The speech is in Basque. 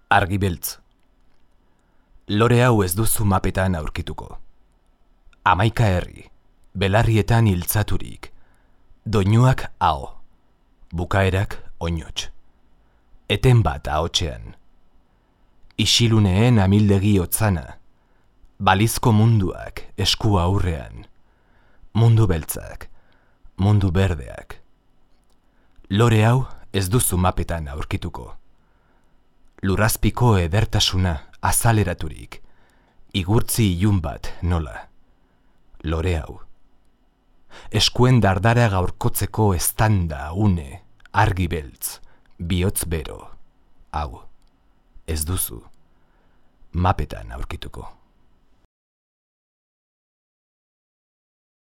Argi beltz. Lore hau ez duzu mapetan aurkituko. 11 herri, belarrietan hiltzaturik. Doinuak aho, bukaerak oinots. Eten bat ahotsean. Isiluneen amildegi otzana. Balizko munduak esku aurrean. Mundu beltzak, mundu berdeak. Lore hau ez duzu mapetan aurkituko. Lurrazpiko edertasuna azaleraturik, igurtzi ilun bat nola. Lore hau. Eskuen dardara gaurkotzeko eztanda une, argi beltz, bihotz bero. Hau, ez duzu mapetan aurkituko.